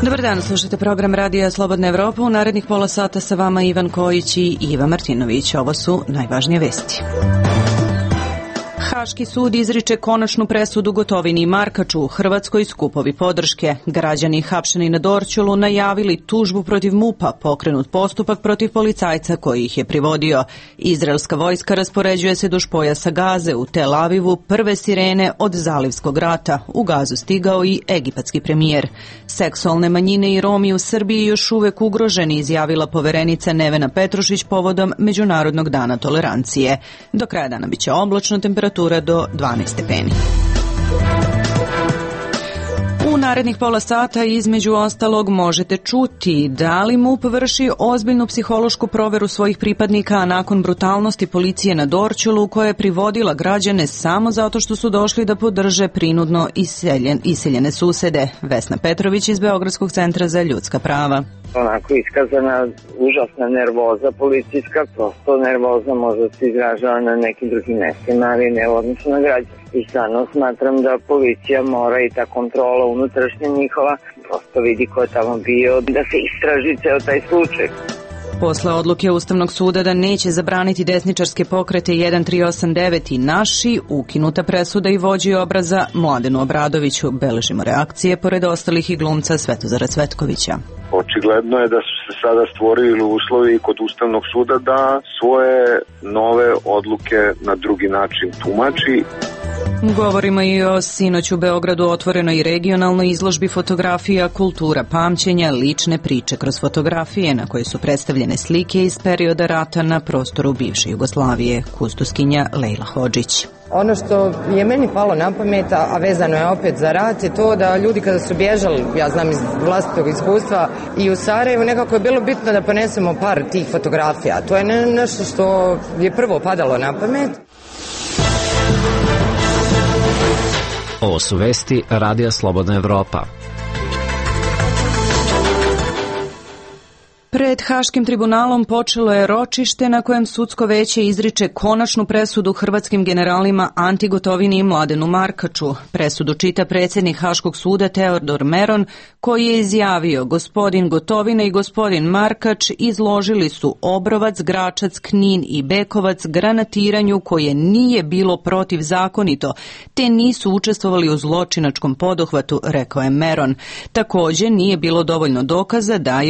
Dobar dan, slušajte program Radija Slobodna Evropa. U narednih pola sata sa vama Ivan Kojić i Iva Martinović. Ovo su najvažnije vesti. Haški sud izriče konačnu presudu Gotovini i Markaču. U Hrvatskoj skupovi podrške. Građani hapšeni na Dorćolu najavili tužbu protiv MUP-a, pokrenut postupak protiv policajca koji ih je privodio. Izraelska vojska raspoređuje se duž pojasa Gaze. U Tel Avivu prve sirene od Zalivskog rata. U Gazu stigao i egipatski premijer. Seksualne manjine i Romi u Srbiji još uvek ugroženi, izjavila poverenica Nevena Petrušić povodom Međunarodnog dana tolerancije. Do kraja dana biće oblačno, temperatura do 12 stepeni. U narednih pola sata između ostalog možete čuti da li MUP vrši ozbiljnu psihološku proveru svojih pripadnika, a nakon brutalnosti policije na Dorćolu koja je privodila građane samo zato što su došli da podrže prinudno iseljene susede. Vesna Petrović iz Beogradskog centra za ljudska prava. Onako iskazana užasna nervoza policijska, prosto nervoza možda se izražava na nekim drugim mestima, ali ne u odnosu na građane. I stvarno smatram da policija mora i ta kontrola unutrašnja njihova prosto vidi ko je tamo bio, da se istraži ceo taj slučaj. Posle odluke Ustavnog suda da neće zabraniti desničarske pokrete 1389 i Naši, ukinuta presuda i vođi obraza Mladenu Obradoviću. Beležimo reakcije pored ostalih i glumca Svetozara Cvetkovića. Očigledno je da su se sada stvorili uslovi kod Ustavnog suda da svoje nove odluke na drugi način tumači. Govorimo i o sinoć u Beogradu otvorenoj regionalnoj izložbi fotografija Kultura pamćenja, lične priče kroz fotografije na koje su predstavljene slike iz perioda rata na prostoru bivše Jugoslavije. Kustoskinja Lejla Hodžić. Ono što je meni palo na pamet, a vezano je opet za rat, je to da ljudi kada su bježali, ja znam iz vlastitog iskustva, i u Sarajevu nekako je bilo bitno da ponesemo par tih fotografija. To je nešto što je prvo padalo na pamet. Ovo su vesti Radija Slobodna Evropa. Pred Haškim tribunalom počelo je ročište na kojem sudsko veće izriče konačnu presudu hrvatskim generalima Anti Gotovini i Mladenu Markaču. Presudu čita predsjednik Haškog suda Teodor Meron, koji je izjavio: gospodin Gotovina i gospodin Markač izložili su Obrovac, Gračac, Knin i Bekovac granatiranju koje nije bilo protivzakonito, te nisu učestvovali u zločinačkom poduhvatu, rekao je Meron. Također nije bilo dovoljno dokaza da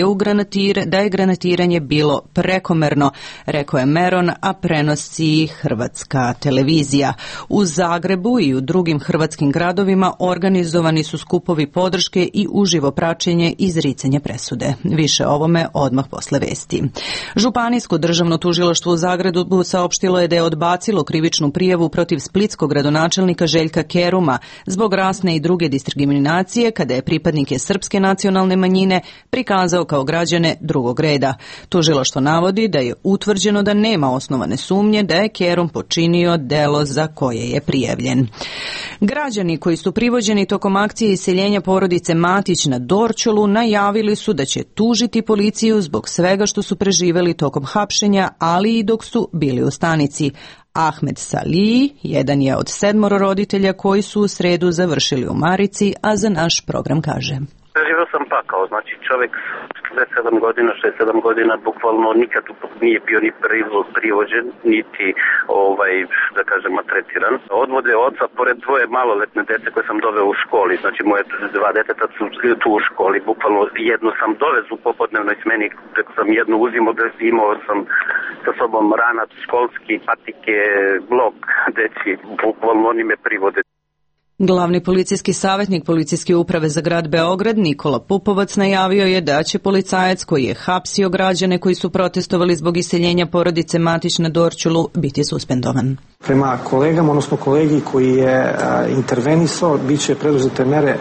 je granatiranje bilo prekomerno, rekao je Meron, a prenosi Hrvatska televizija. U Zagrebu i u drugim hrvatskim gradovima organizovani su skupovi podrške i uživo praćenje izricanja presude. Više o ovome odmah posle vesti. Županijsko državno tužilaštvo u Zagrebu saopštilo je da je odbacilo krivičnu prijavu protiv splitskog gradonačelnika Željka Keruma zbog rasne i druge diskriminacije kada je pripadnike srpske nacionalne manjine prikazao kao građane drugog reda. Tužilaštvo navodi da je utvrđeno da nema osnovane sumnje da je Kerum počinio delo za koje je prijavljen. Građani koji su privođeni tokom akcije iseljenja porodice Matić na Dorćolu najavili su da će tužiti policiju zbog svega što su preživeli tokom hapšenja, ali i dok su bili u stanici. Ahmed Salih jedan je od 7 roditelja koji su u sredu završili u Marici, a za naš program kaže: Živio sam pakao, znači čovjek 6-7 godina bukvalno nikad nije bio ni privođen, niti da kažem maltretiran. Odvode oca pored dvoje maloletne dece koje sam doveo u školi, znači moje 2 deteta su tu u školi, bukvalno jednu sam dovezu u popodnevnoj smeni, preko sam jednu uzimao, imao sam sa sobom ranac školski, patike, blok deci, bukvalno oni me privode. Glavni policijski savjetnik Policijske uprave za grad Beograd Nikola Pupovac najavio je da će policajac koji je hapsio građane koji su protestovali zbog iseljenja porodice Matić na Dorćolu biti suspendovan. Prema kolegama, odnosno kolegi koji je intervenisao, bit će preduzete mere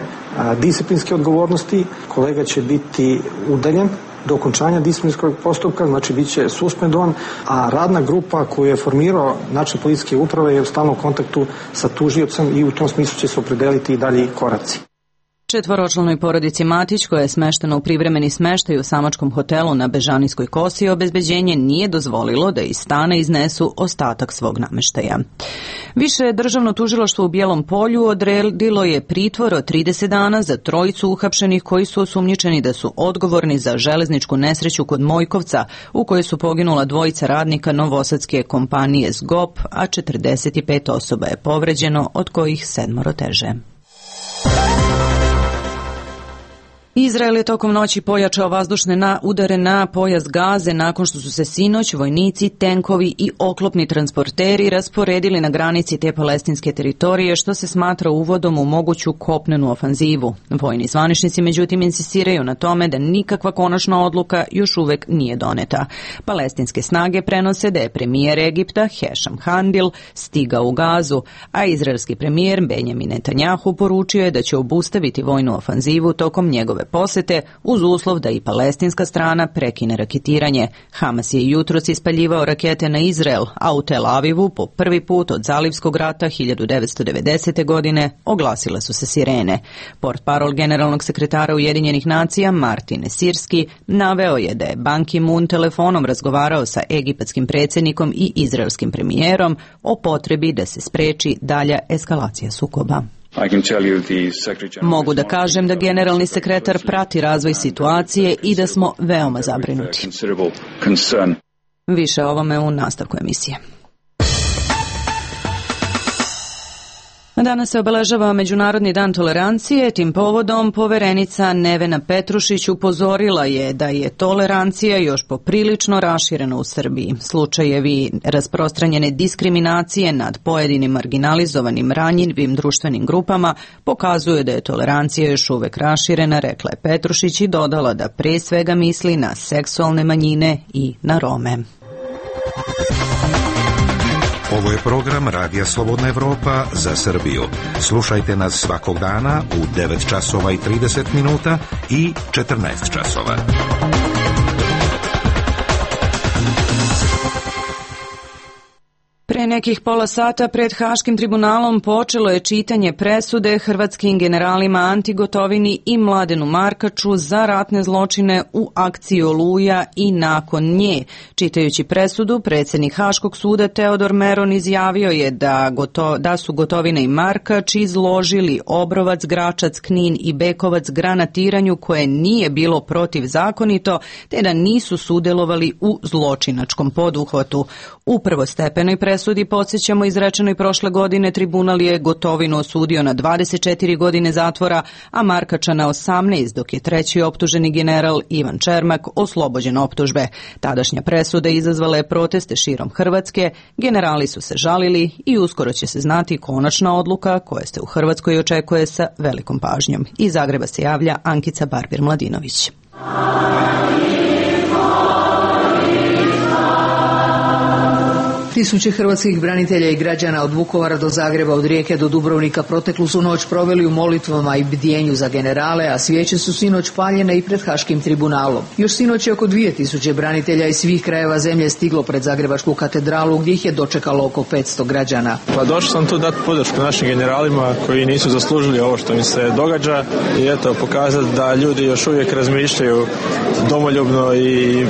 disciplinske odgovornosti. Kolega će biti udaljen do okončanja disciplinskog postupka, znači bit će suspendovan, a radna grupa koju je formirao načelnik policijske uprave je u stalnom kontaktu sa tužiocem i u tom smislu će se opredeliti i dalji koraci. Četvoročlanoj porodici Matić, koja je smeštena u privremeni smeštaj u samačkom hotelu na Bežanijskoj kosi, obezbeđenje nije dozvolilo da iz stana iznesu ostatak svog nameštaja. Više državno tužilaštvo u Bijelom Polju odredilo je pritvor od 30 dana za trojicu uhapšenih koji su osumnjičeni da su odgovorni za železničku nesreću kod Mojkovca, u kojoj su poginula dvojica radnika novosadske kompanije SGOP, a 45 osoba je povređeno, od kojih 7 teže. Izrael je tokom noći pojačao vazdušne udare na pojas Gaze nakon što su se sinoć vojnici, tenkovi i oklopni transporteri rasporedili na granici te palestinske teritorije, što se smatra uvodom u moguću kopnenu ofanzivu. Vojni zvaničnici međutim insistiraju na tome da nikakva konačna odluka još uvek nije doneta. Palestinske snage prenose da je premijer Egipta Hešam Handil stigao u Gazu, a izraelski premijer Benjamin Netanjahu poručio je da će obustaviti vojnu ofanzivu tokom njegove posete uz uslov da i palestinska strana prekine raketiranje. Hamas je jutros ispaljivao rakete na Izrael, a u Tel Avivu po prvi put od Zalivskog rata 1990. godine oglasile su se sirene. Portparol generalnog sekretara Ujedinjenih nacija Martin Sirski naveo je da je Ban Ki-moon telefonom razgovarao sa egipatskim predsjednikom i izraelskim premijerom o potrebi da se spreči dalja eskalacija sukoba. Mogu da kažem da generalni sekretar prati razvoj situacije i da smo veoma zabrinuti. Više o ovome u nastavku emisije. Danas se obeležava Međunarodni dan tolerancije. Tim povodom poverenica Nevena Petrušić upozorila je da je tolerancija još poprilično raširena u Srbiji. Slučajevi rasprostranjene diskriminacije nad pojedinim marginalizovanim ranjivim društvenim grupama pokazuju da je tolerancija još uvek raširena, rekla je Petrušić i dodala da pre svega misli na seksualne manjine i na Rome. Ovo je program Radija Slobodna Evropa za Srbiju. Slušajte nas svakog dana u 9 časova i 30 minuta i 14 časova. Pre nekih pola sata pred Haškim tribunalom počelo je čitanje presude hrvatskim generalima Anti Gotovini i Mladenu Markaču za ratne zločine u akciji Oluja i nakon nje. Čitajući presudu, predsjednik Haškog suda Teodor Meron izjavio je da su Gotovina i Markač izložili Obrovac, Gračac, Knin i Bekovac granatiranju koje nije bilo protivzakonito, te da nisu sudjelovali u zločinačkom poduhvatu. U prvostepenoj presudi, podsjećamo, izrečenoj prošle godine, tribunal je Gotovinu osudio na 24 godine zatvora, a Markača na 18, dok je treći optuženi general Ivan Čermak oslobođen optužbe. Tadašnja presuda izazvala je proteste širom Hrvatske, generali su se žalili i uskoro će se znati konačna odluka koja se u Hrvatskoj očekuje sa velikom pažnjom. Iz Zagreba se javlja Ankica Barbir-Mladinović. Tisuće hrvatskih branitelja i građana od Vukovara do Zagreba, od Rijeke do Dubrovnika proteklu su noć proveli u molitvama i bdjenju za generale, a svijeće su sinoć paljene i pred Haškim tribunalom. Još sinoć je oko 2000 branitelja iz svih krajeva zemlje stiglo pred Zagrebačku katedralu, gdje ih je dočekalo oko 500 građana. Pa došao sam tu dati podršku našim generalima koji nisu zaslužili ovo što im se događa i eto pokazati da ljudi još uvijek razmišljaju domoljubno i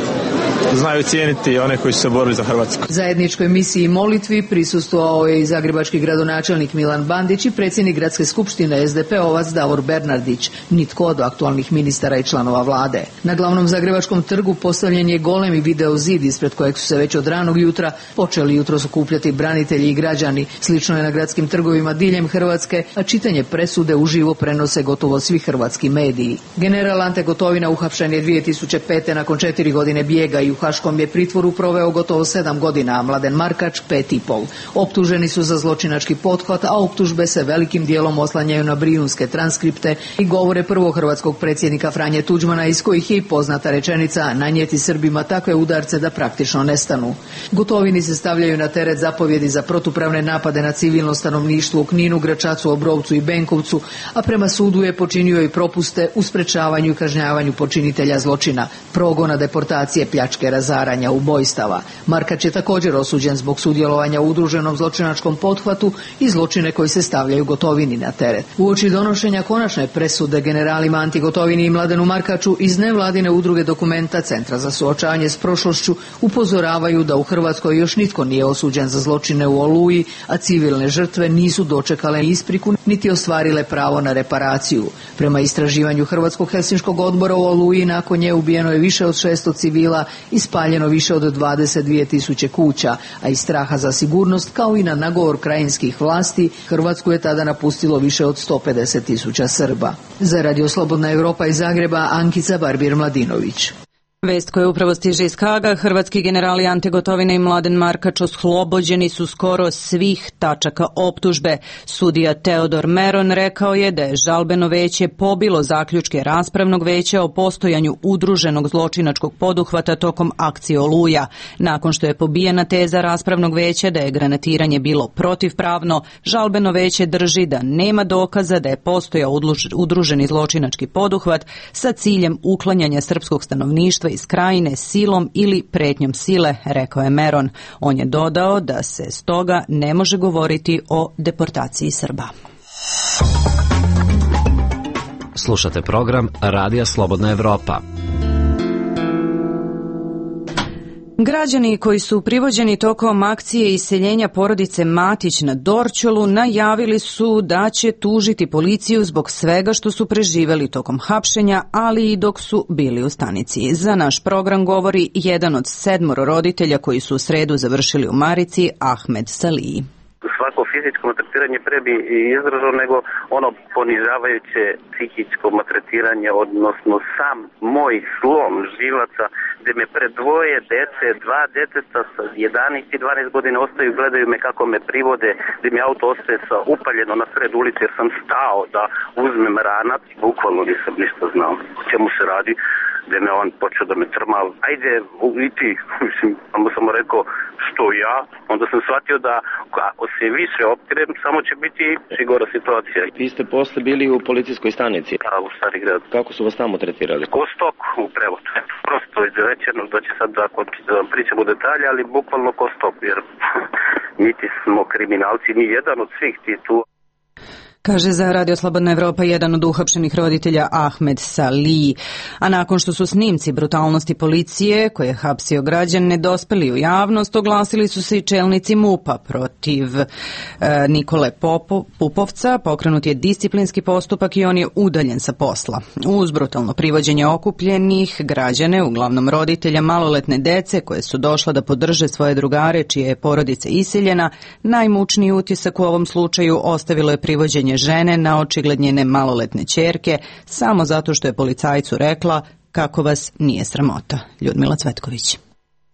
znaju cijeniti one koji su se borili za Hrvatsku. Zajedničkoj misiji i molitvi prisustvovao je i zagrebački gradonačelnik Milan Bandić i predsjednik Gradske skupštine SDP-ovac Davor Bernardić, nitko od aktualnih ministara i članova vlade. Na glavnom zagrebačkom trgu postavljen je golemi video zid ispred kojeg su se već od ranog jutra počeli jutros okupljati branitelji i građani. Slično je na gradskim trgovima diljem Hrvatske, a čitanje presude uživo prenose gotovo svi hrvatski mediji. General Ante Gotovina uhapšen je 2005. nakon 4 godine bijega i u Haškom je pritvoru proveo gotovo 7 godina, a Mladen Markač 5,5. Optuženi su za zločinački pothvat, a optužbe se velikim dijelom oslanjaju na brijunske transkripte i govore prvog hrvatskog predsjednika Franje Tuđmana, iz kojih je i poznata rečenica nanijeti Srbima takve udarce da praktično nestanu. Gotovini se stavljaju na teret zapovjedi za protupravne napade na civilno stanovništvo u Kninu, Gračacu, Obrovcu i Benkovcu, a prema sudu je počinio i propuste u sprečavanju i kažnjavanju počinitelja zločina, progona, deportacije, pljačke, razaranja, ubojstava. Markač je također osuđen zbog sudjelovanja u udruženom zločinačkom pothvatu i zločine koji se stavljaju Gotovini na teret. Uoči donošenja konačne presude generalima Anti Gotovini i Mladenu Markaču iz nevladine udruge Dokumenta Centra za suočavanje s prošlošću upozoravaju da u Hrvatskoj još nitko nije osuđen za zločine u Oluji, a civilne žrtve nisu dočekale ispriku niti ostvarile pravo na reparaciju. Prema istraživanju Hrvatskog helsinškog odbora u Oluji nakon nje ubijeno je više od 600 civila i spaljeno više od 22.000 kuća, a iz straha za sigurnost kao i na nagovor krajinskih vlasti Hrvatsku je tada napustilo više od 150.000 Srba. Za Radio Slobodna Evropa iz Zagreba, Ankica Barbir-Mladinović. Vest koja upravo stiže iz Haga, hrvatski generali Ante Gotovina i Mladen Markač oslobođeni su skoro svih tačaka optužbe. Sudija Teodor Meron rekao je da je žalbeno veće pobilo zaključke raspravnog veća o postojanju udruženog zločinačkog poduhvata tokom akcije Oluja. Nakon što je pobijena teza raspravnog veća da je granatiranje bilo protivpravno, žalbeno veće drži da nema dokaza da je postojao udruženi zločinački poduhvat sa ciljem uklanjanja srpskog stanovništva iz krajine silom ili pretnjom sile, rekao je Meron. On je dodao da se stoga ne može govoriti o deportaciji Srba. Slušate program Radija Slobodna Evropa. Građani koji su privođeni tokom akcije iseljenja porodice Matić na Dorćolu najavili su da će tužiti policiju zbog svega što su preživeli tokom hapšenja, ali i dok su bili u stanici. Za naš program govori jedan od 7 roditelja koji su u sredu završili u Marici, Ahmed Saliji. Svako fizičko maltretiranje pre bi izdržao nego ono ponižavajuće psihičko maltretiranje, odnosno sam moj slom živaca gde me pred 2 dece, 2 deteta sa 11 i 12 godina ostaju, gledaju me kako me privode, gde mi auto ostaje upaljeno na sred ulici jer sam stao da uzmem ranac, bukvalno nisam ništa znao o čemu se radi, gde me on počeo da me trma, ajde i ti, mislim, samo rekao što ja, onda sam shvatio da ako se više optirem, samo će biti sigura situacija. Vi ste posle bili u policijskoj stanici? Da, u Stari grad. Kako su vas tamo tretirali? Ko stok u prevodu. Prosto izrečeno da će sad da pričamo detalje, ali bukvalno ko stok, jer niti smo kriminalci, ni jedan od svih ti tu. Kaže za Radio Slobodna Evropa jedan od uhapšenih roditelja Ahmed Saliji. A nakon što su snimci brutalnosti policije koje je hapsio građane dospeli u javnost, oglasili su se i čelnici MUP-a protiv Nikole Pupovca. Pokrenut je disciplinski postupak i on je udaljen sa posla. Uz brutalno privođenje okupljenih građane, uglavnom roditelja maloletne dece koje su došla da podrže svoje drugare čije je porodica iseljena, najmučniji utisak u ovom slučaju ostavilo je privođenje žene na očigled njene maloletne ćerke samo zato što je policajcu rekla kako vas nije sramota. Ljudmila Cvetković.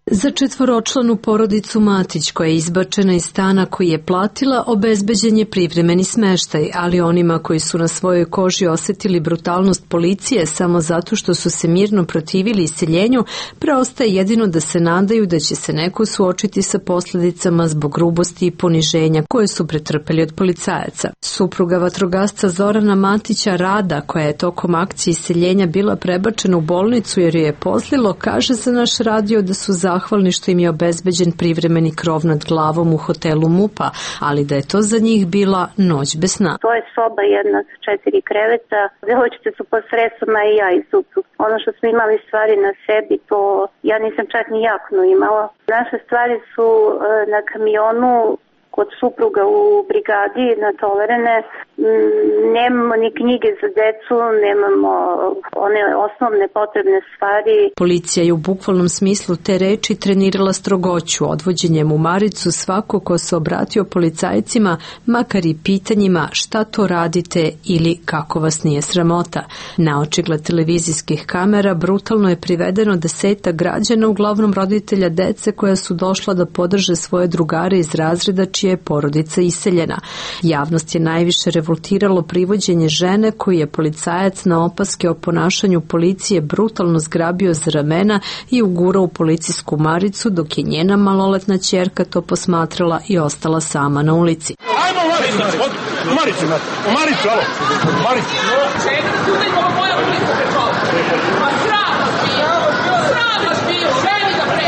Za 4-članu porodicu Matić koja je izbačena iz stana koji je platila obezbeđen je privremeni smeštaj, ali onima koji su na svojoj koži osetili brutalnost policije samo zato što su se mirno protivili iseljenju, preostaje jedino da se nadaju da će se neko suočiti sa posljedicama zbog grubosti i poniženja koje su pretrpeli od policajaca. Supruga vatrogasca Zorana Matića Rada, koja je tokom akcije iseljenja bila prebačena u bolnicu jer joj je pozlilo, kaže za naš radio da su zahvalni što im je obezbeđen privremeni krov nad glavom u hotelu MUP-a, ali da je to za njih bila noć bez sna. To je soba jedna sa 4 kreveta, devojčice su pod stresama i ja i suprug. Ono što smo imali stvari na sebi, to ja nisam čak ni jaknu imala. Naše stvari su na kamionu kod supruga u brigadi natovarene. Nemamo ni knjige za decu, nemamo one osnovne potrebne stvari. Policija je u bukvalnom smislu te reči trenirala strogoću. Odvođenjem u Maricu svako ko se obratio policajcima, makar i pitanjima šta to radite ili kako vas nije sramota. Na očigled televizijskih kamera brutalno je privedeno 10 građana, uglavnom roditelja dece koja su došla da podrže svoje drugare iz razreda čija je porodica iseljena. Javnost je najviše revoltiralo privođenje žene koju je policajac na opaske o ponašanju policije brutalno zgrabio za ramena i ugurao u policijsku maricu, dok je njena maloletna ćerka to posmatrala i ostala sama na ulici. Ajmo u Maricu, alo, u Maricu. Čekaj, tu moja ulica prečala. Pa sram vas bio, ženi da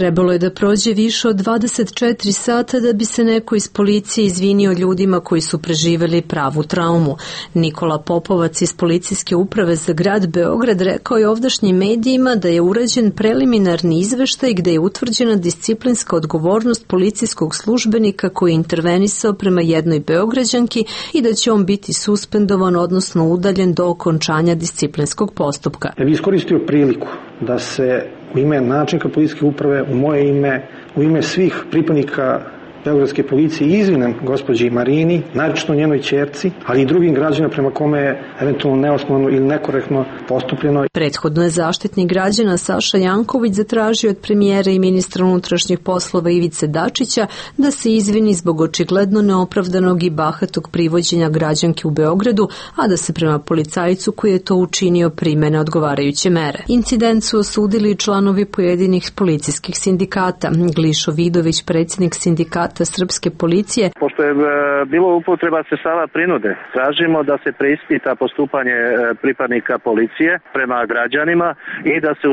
Trebalo je da prođe više od 24 sata da bi se neko iz policije izvinio ljudima koji su preživeli pravu traumu. Nikola Popovac iz Policijske uprave za grad Beograd rekao je ovdašnjim medijima da je urađen preliminarni izveštaj gde je utvrđena disciplinska odgovornost policijskog službenika koji je intervenisao prema jednoj Beograđanki i da će on biti suspendovan, odnosno udaljen do okončanja disciplinskog postupka. Ja bih iskoristio priliku da se u ime načelnika policijske uprave, u moje ime, u ime svih pripadnika Beogradske policije izvinem gospođi Marini, naročito njenoj ćerci, ali i drugim građanima prema kome je eventualno neosnovano ili nekorektno postupljeno. Prethodno je zaštitnik građana Saša Janković zatražio od premijera i ministra unutrašnjih poslova Ivice Dačića da se izvini zbog očigledno neopravdanog i bahatog privođenja građanke u Beogradu, a da se prema policajcu koji je to učinio primene odgovarajuće mere. Incident su osudili i članovi pojedinih policijskih sindikata. Glišo Vidović, predsjednik sindikata Srpske policije. Pošto je bilo upotreba sredstava prinude, tražimo da se preispita postupanje pripadnika policije prema građanima i da se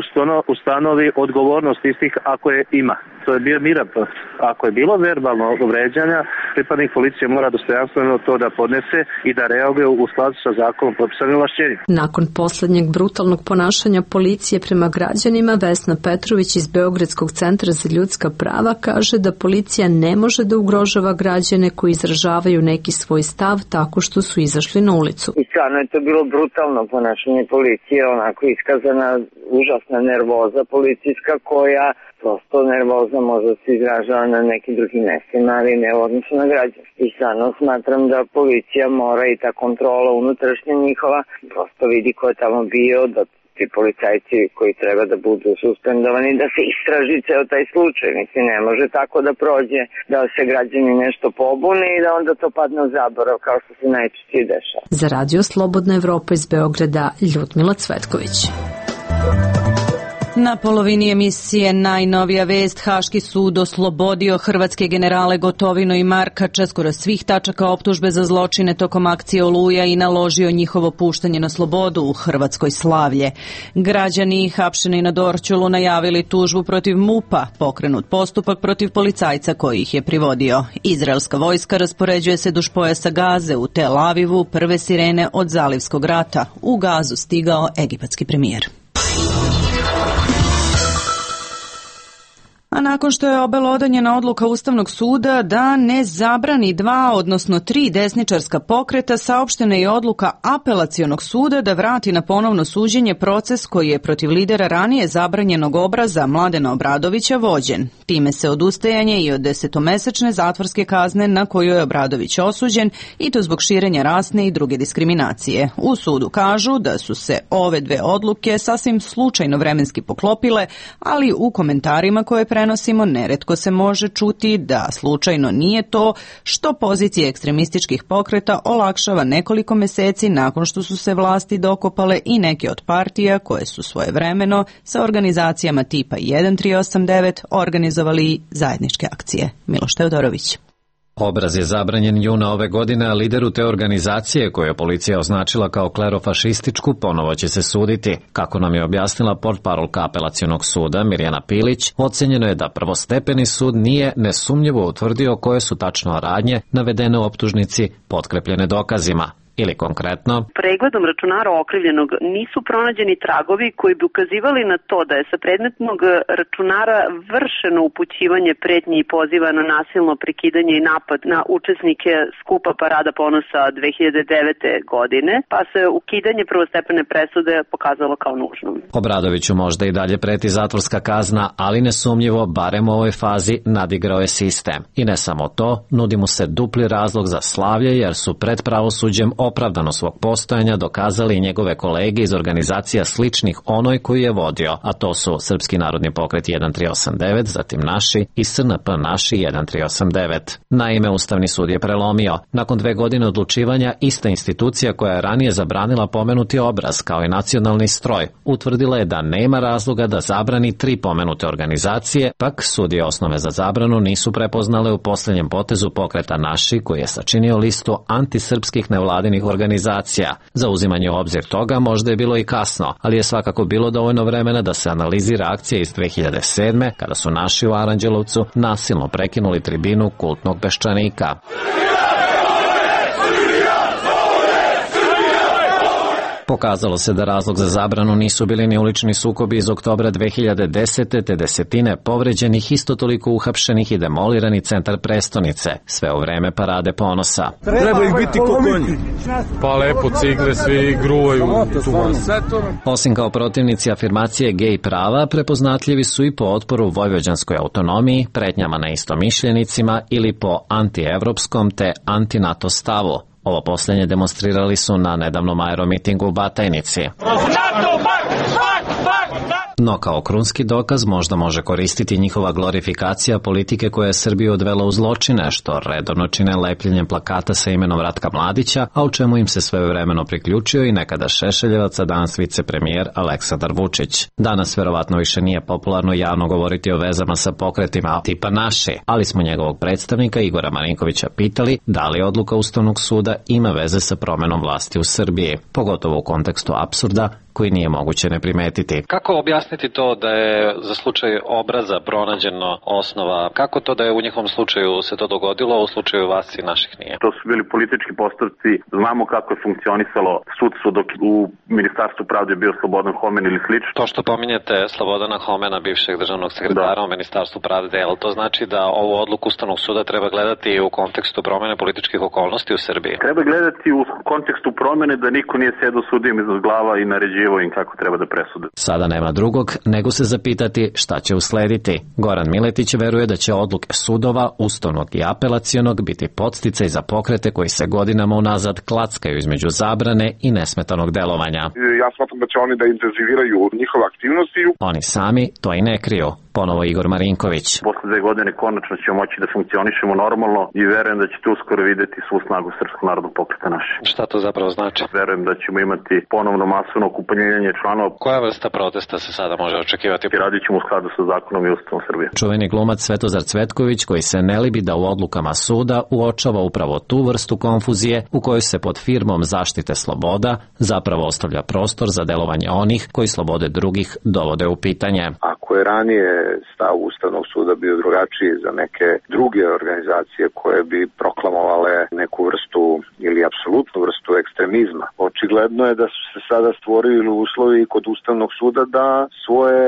ustanovi odgovornost istih ako je ima. To je bio miran proces. Ako je bilo verbalno vređanja, pripadnik policije mora dostojanstveno to da podnese i da reaguje u skladu sa zakonom propisanim ovlašćenjima. Nakon poslednjeg brutalnog ponašanja policije prema građanima, Vesna Petrović iz Beogradskog centra za ljudska prava kaže da policija ne može da ugrožava građane koji izražavaju neki svoj stav tako što su izašli na ulicu. I stvarno je to bilo brutalno ponašanje policije, onako iskazana užasna nervoza policijska koja prosto nervozno može da se izražava na nekim drugim mestima, ali ne u odnosu na građane. I stvarno smatram da policija mora i ta kontrola unutrašnja njihova prosto vidi ko je tamo bio, da ti policajci koji treba da budu suspendovani, da se istraži ceo taj slučaj. Mislim, ne može tako da prođe, da se građani nešto pobune i da onda to padne u zaborav, kao što se najčešće dešava. Za Radio Slobodna Evropa iz Beograda, Ljudmila Cvetković. Na polovini emisije najnovija vest, Haški sud oslobodio hrvatske generale Gotovinu i Markača skoro svih tačaka optužbe za zločine tokom akcije Oluja i naložio njihovo puštanje na slobodu u Hrvatskoj Slavlje. Građani hapšeni na Dorćolu najavili tužbu protiv MUP-a, pokrenut postupak protiv policajca koji ih je privodio. Izraelska vojska raspoređuje se duž pojasa Gaze u Tel Avivu, prve sirene od Zalivskog rata. U Gazu stigao egipatski premijer. A nakon što je obelodanjena odluka Ustavnog suda da ne zabrani 2, odnosno 3 desničarska pokreta, saopštena je odluka Apelacionog suda da vrati na ponovno suđenje proces koji je protiv lidera ranije zabranjenog obraza Mladena Obradovića vođen. Time se odustajanje i od 10-mesečne zatvorske kazne na koju je Obradović osuđen, i to zbog širenja rasne i druge diskriminacije. U sudu kažu da su se ove dve odluke sasvim slučajno vremenski poklopile, ali u komentarima koje prenosimo neretko se može čuti da slučajno nije to što pozicije ekstremističkih pokreta olakšava nekoliko meseci nakon što su se vlasti dokopale i neke od partija koje su svojevremeno sa organizacijama tipa 1389 organizovali zajedničke akcije. Miloš Teodorović. Obraz je zabranjen juna ove godine, a lideru te organizacije, koju je policija označila kao klerofašističku, ponovo će se suditi. Kako nam je objasnila portparolka Apelacionog suda Mirjana Pilić, ocenjeno je da prvostepeni sud nije nesumnjivo utvrdio koje su tačno radnje navedene u optužnici potkrepljene dokazima. Ili konkretno, pregledom računara okrivljenog nisu pronađeni tragovi koji bi ukazivali na to da je sa predmetnog računara vršeno upućivanje pretnji i poziva na nasilno prekidanje i napad na učesnike skupa Parada ponosa 2009. godine, pa se ukidanje prvostepene presude pokazalo kao nužno. Obradoviću možda i dalje preti zatvorska kazna, ali nesumnjivo, barem u ovoj fazi, nadigrao je sistem. I ne samo to, nudi mu se dupli razlog za slavlje, jer su pred pravosuđem opravdano svog postojanja dokazali i njegove kolege iz organizacija sličnih onoj koju je vodio, a to su Srpski narodni pokret 1389, zatim Naši i SNP Naši 1389. Naime, Ustavni sud je prelomio. Nakon 2 godine odlučivanja, ista institucija koja je ranije zabranila pomenuti obraz kao i nacionalni stroj, utvrdila je da nema razloga da zabrani 3 pomenute organizacije, pak sudije osnove za zabranu nisu prepoznale u posljednjem potezu pokreta Naši, koji je sačinio listu antisrpskih nevladinih nevladinih organizacija. Za uzimanje u obzir toga možda je bilo i kasno, ali je svakako bilo dovoljno vremena da se analizira akcija iz 2007. kada su naši u Aranđelovcu nasilno prekinuli tribinu kultnog peščanika. Pokazalo se da razlog za zabranu nisu bili ni ulični sukobi iz oktobra 2010. te desetine povređenih, isto toliko uhapšenih i demolirani centar prestonice, sve u vreme parade ponosa. Treba ih biti ko konji. Pa lepo cigle, svi gruvaju tu masu. Osim kao protivnici afirmacije gej prava, prepoznatljivi su i po otporu vojvođanskoj autonomiji, pretnjama na istomišljenicima ili po antievropskom te antinato stavu. Ovo poslednje demonstrirali su na nedavnom aeromitingu u Batajnici. No kao krunski dokaz možda može koristiti njihova glorifikacija politike koja je Srbiju odvela u zločine, što redovno čine lepljenjem plakata sa imenom Ratka Mladića, a u čemu im se svojevremeno priključio i nekada Šešeljevac, a danas vicepremijer Aleksandar Vučić. Danas verovatno više nije popularno javno govoriti o vezama sa pokretima tipa naši, ali smo njegovog predstavnika Igora Marinkovića pitali da li odluka Ustavnog suda ima veze sa promenom vlasti u Srbiji, pogotovo u kontekstu apsurda koji nije moguće ne primetiti. Kako objasniti to da je za slučaj Obraza pronađeno osnova? Kako to da je u njihovom slučaju se to dogodilo, a u slučaju vas i naših nije? To su bili politički postupci, znamo kako je funkcionisalo sudstvo dok u Ministarstvu pravde je bio Slobodan Homen ili slično. To što pominjete Slobodana Homena, bivšeg državnog sekretara u Ministarstvu pravde, ali to znači da ovu odluku Ustavnog suda treba gledati u kontekstu promene političkih okolnosti u Srbiji? Treba gledati u kontekstu promene da niko nije sedao sudijem iznad glava i naređivo im kako treba da presude. Sada nema drugog nego se zapitati šta će uslediti. Goran Miletić veruje da će odluke sudova, ustavnog i apelacionog biti podsticaj za pokrete koji se godinama unazad klackaju između zabrane i nesmetanog delovanja. Ja smatram da će oni da intenziviraju njihove aktivnosti. Oni sami to i ne kriju. Ponovo Igor Marinković. Posle 2 godine konačno ćemo moći da funkcionišemo normalno i verujem da ćete uskoro videti svu snagu Srpskog narodnog pokreta naše. Šta to zapravo znači? Verujem da ćemo imati ponovno masovno okupljenje članova. Koja vrsta protesta se sada može očekivati? Radit ćemo u skladu sa zakonom i Ustavom Srbije. Čuveni glumac Svetozar Cvetković, koji se ne libi da u odlukama suda uočava upravo tu vrstu konfuzije u kojoj se pod firmom zaštite sloboda zapravo ostavlja prostor za delovanje onih koji slobode drugih dovode u pitanje. Ako je ranije stav Ustavnog suda bio drugačiji za neke druge organizacije koje bi proklamovale neku vrstu ili apsolutnu vrstu ekstremizma, očigledno je da su se sada stvorili uslovi kod Ustavnog suda da svoje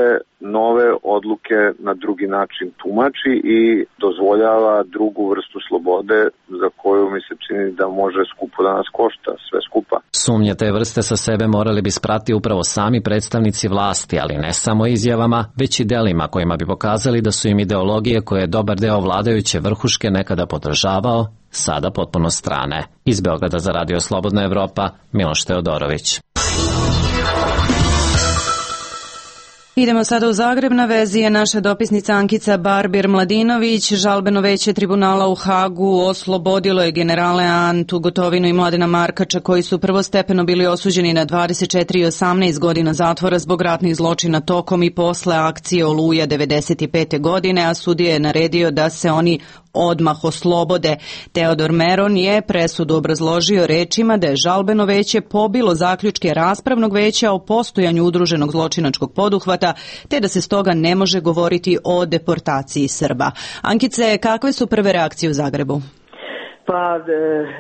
nove odluke na drugi način tumači i dozvoljava drugu vrstu slobode za koju mi se čini da može skupo da nas košta, sve skupa. Sumnje te vrste sa sebe morali bi sprati upravo sami predstavnici vlasti, ali ne samo izjavama, već i delima kojima bi pokazali da su im ideologije koje je dobar deo vladajuće vrhuške nekada podržavao, sada potpuno strane. Iz Beograda za Radio Slobodna Evropa, Miloš Teodorović. Idemo sada u Zagreb, na vezi je naša dopisnica Ankica Barbir-Mladinović. Žalbeno veće tribunala u Hagu oslobodilo je generale Antu Gotovinu i Mladena Markača, koji su prvostepeno bili osuđeni na 24 i 18 godina zatvora zbog ratnih zločina tokom i posle akcije Oluja 95. godine, a sudija je naredio da se oni odmah oslobode. Teodor Meron je presudu obrazložio rečima da je žalbeno veće pobilo zaključke raspravnog veća o postojanju udruženog zločinačkog poduhvata, te da se stoga ne može govoriti o deportaciji Srba. Ankice, kakve su prve reakcije u Zagrebu? Pa,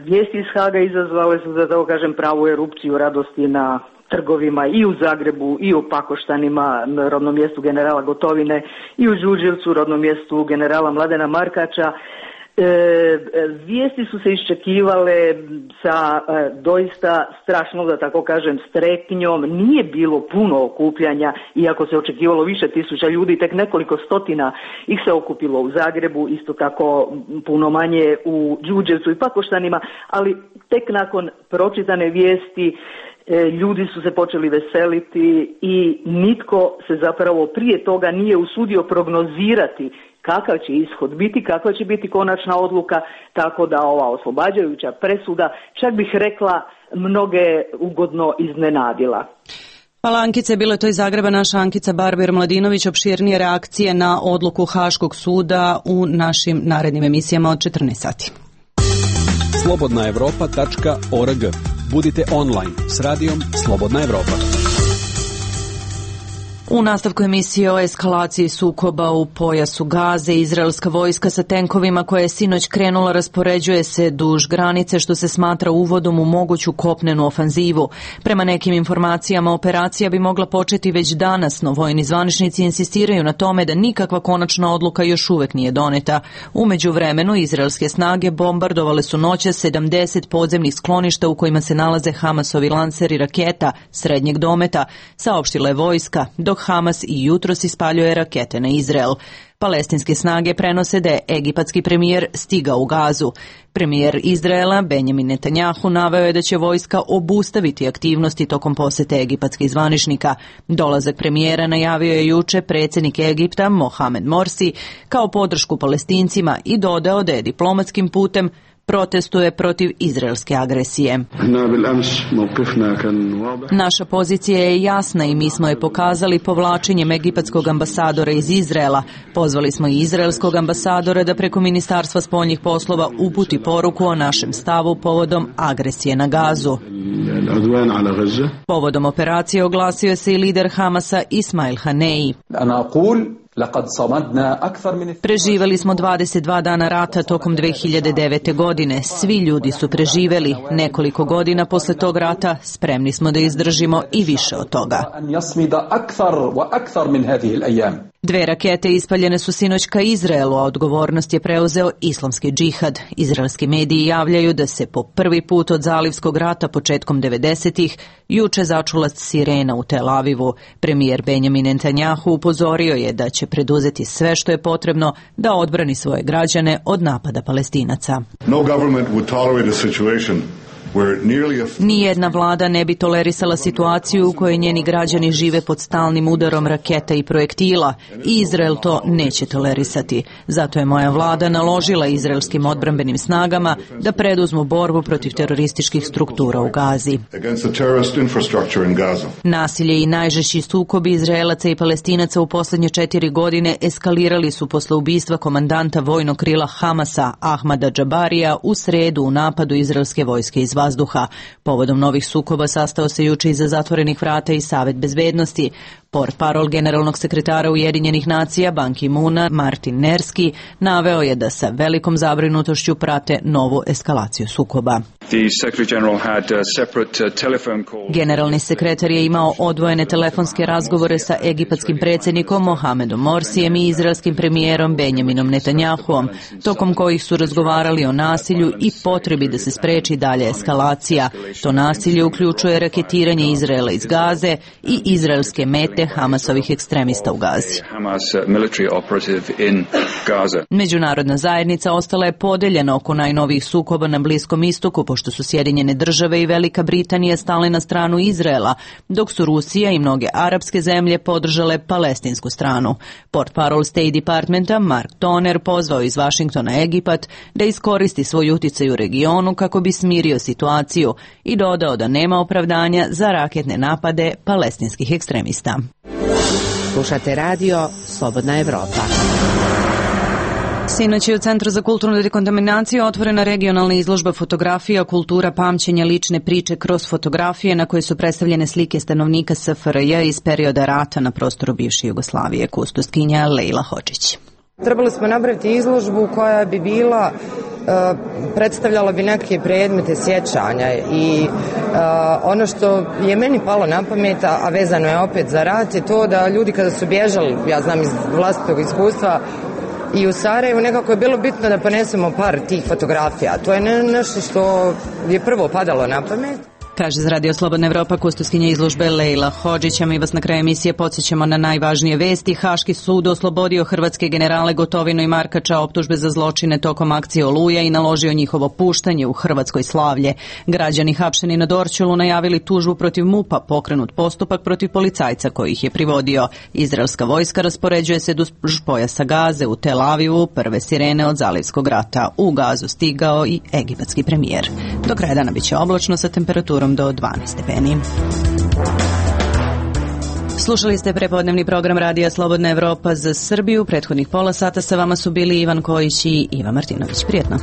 vijesti iz Haga izazvale su, da tako kažem, pravu erupciju radosti na trgovima i u Zagrebu i u Pakoštanima, rodnom mjestu generala Gotovine, i u Đurđevcu, rodnom mjestu generala Mladena Markača. Vijesti su se iščekivale sa doista strašnom, da tako kažem, strepnjom. Nije bilo puno okupljanja, iako se očekivalo više tisuća ljudi, tek nekoliko stotina ih se okupilo u Zagrebu, isto tako puno manje u Đurđevcu i Pakoštanima, ali tek nakon pročitane vijesti ljudi su se počeli veseliti i nitko se zapravo prije toga nije usudio prognozirati kakav će ishod biti, kakva će biti konačna odluka, tako da ova oslobađajuća presuda, čak bih rekla, mnoge ugodno iznenadila. Hvala Ankice, bilo je to iz Zagreba naša Ankica Barbir-Mladinović. Opširnije reakcije na odluku Haškog suda u našim narednim emisijama od 14 sati. Slobodnaevropa.org. Budite online s radijom Slobodna Evropa. U nastavku emisije o eskalaciji sukoba u pojasu Gaze, izraelska vojska sa tenkovima koja je sinoć krenula raspoređuje se duž granice, što se smatra uvodom u moguću kopnenu ofanzivu. Prema nekim informacijama, operacija bi mogla početi već danas, no vojni zvaničnici insistiraju na tome da nikakva konačna odluka još uvek nije doneta. U međuvremenu, izraelske snage bombardovale su noćas 70 podzemnih skloništa u kojima se nalaze Hamasovi lanseri raketa srednjeg dometa, saopštila je vojska, dok Hamas i jutros ispaljuje rakete na Izrael. Palestinske snage prenose da je egipatski premijer stigao u Gazu. Premijer Izraela Benjamin Netanjahu naveo je da će vojska obustaviti aktivnosti tokom posete egipatskih zvaničnika. Dolazak premijera najavio je juče predsjednik Egipta Mohamed Morsi kao podršku Palestincima i dodao da je diplomatskim putem protestuje protiv izraelske agresije. Naša pozicija je jasna i mi smo je pokazali povlačenjem egipatskog ambasadora iz Izraela. Pozvali smo i izraelskog ambasadora da preko Ministarstva spoljnih poslova uputi poruku o našem stavu povodom agresije na Gazu. Povodom operacije oglasio se i lider Hamasa Ismail Hanei. Preživeli smo 22 dana rata tokom 2009. godine. Svi ljudi su preživeli. Nekoliko godina posle tog rata spremni smo da izdržimo i više od toga. 2 rakete ispaljene su sinoć ka Izraelu, a odgovornost je preuzeo islamski džihad. Izraelski mediji javljaju da se po prvi put od zalivskog rata početkom 90-ih juče začula sirena u Tel Avivu. Premijer Benjamin Netanjahu upozorio je da će preduzeti sve što je potrebno da odbrani svoje građane od napada Palestinaca. Nijedna vlada ne bi tolerisala situaciju u kojoj njeni građani žive pod stalnim udarom raketa i projektila i Izrael to neće tolerisati. Zato je moja vlada naložila izraelskim odbrambenim snagama da preduzmu borbu protiv terorističkih struktura u Gazi. Nasilje i najžešći sukobi Izraelaca i Palestinaca u posljednje 4 godine eskalirali su posle ubistva komandanta vojnog krila Hamasa Ahmada Džabarija u sredu u napadu izraelske vojske iz vazduha. Povodom novih sukoba sastao se juče iza zatvorenih vrata i Savet bezbednosti. Portparol generalnog sekretara Ujedinjenih nacija Ban Ki-moona Martin Nerski naveo je da sa velikom zabrinutošću prate novu eskalaciju sukoba. Generalni sekretar je imao odvojene telefonske razgovore sa egipatskim predsjednikom Mohamedom Morsijem i izraelskim premijerom Benjaminom Netanjahuom, tokom kojih su razgovarali o nasilju i potrebi da se spreči dalje eskalacija. To nasilje uključuje raketiranje Izraela iz Gaze i izraelske mete Hamasovih ekstremista u Gazi. Međunarodna zajednica ostala je podeljena oko najnovijih sukoba na Bliskom istoku, pošto su Sjedinjene države i Velika Britanija stale na stranu Izraela, dok su Rusija i mnoge arapske zemlje podržale palestinsku stranu. Portparol State Departmenta Mark Toner pozvao iz Vašingtona Egipat da iskoristi svoj uticaj u regionu kako bi smirio situaciju i dodao da nema opravdanja za raketne napade palestinskih ekstremista. Slušate radio Slobodna Evropa. Sinoć je u Centru za kulturnu dekontaminaciju otvorena regionalna izložba fotografija, kultura pamćenja, lične priče kroz fotografije na koje su predstavljene slike stanovnika SFRJ iz perioda rata na prostoru bivše Jugoslavije. Kustoskinja Lejla Hodžić. Trebali smo napraviti izložbu koja bi bila, predstavljala bi neke predmete sjećanja i ono što je meni palo na pamet, a vezano je opet za rat, je to da ljudi kada su bježali, ja znam iz vlastitog iskustva, i u Sarajevu nekako je bilo bitno da ponesemo par tih fotografija. To je nešto što je prvo padalo na pamet. Kaže za Radio Slobodna Evropa kustoskinja izložbe Lejla Hodžića. Mi vas na kraju emisije podsjećamo na najvažnije vesti. Haški sud oslobodio hrvatske generale Gotovinu i Markača optužbe za zločine tokom akcije Oluja i naložio njihovo puštanje u Hrvatskoj Slavlje. Građani hapšeni na Dorćolu najavili tužbu protiv MUP-a, pokrenut postupak protiv policajca koji ih je privodio. Izraelska vojska raspoređuje se duž pojasa Gaze u Tel Avivu, prve sirene od zalivskog rata. U Gazu stigao i egipatski premijer. Do kraja dana biće oblačno sa temperaturom do 12 stepeni. Slušali ste prepodnevni program Radija Slobodna Evropa za Srbiju. Prethodnih pola sata sa vama su bili Ivan Kojić i Iva Martinović. Prijetno.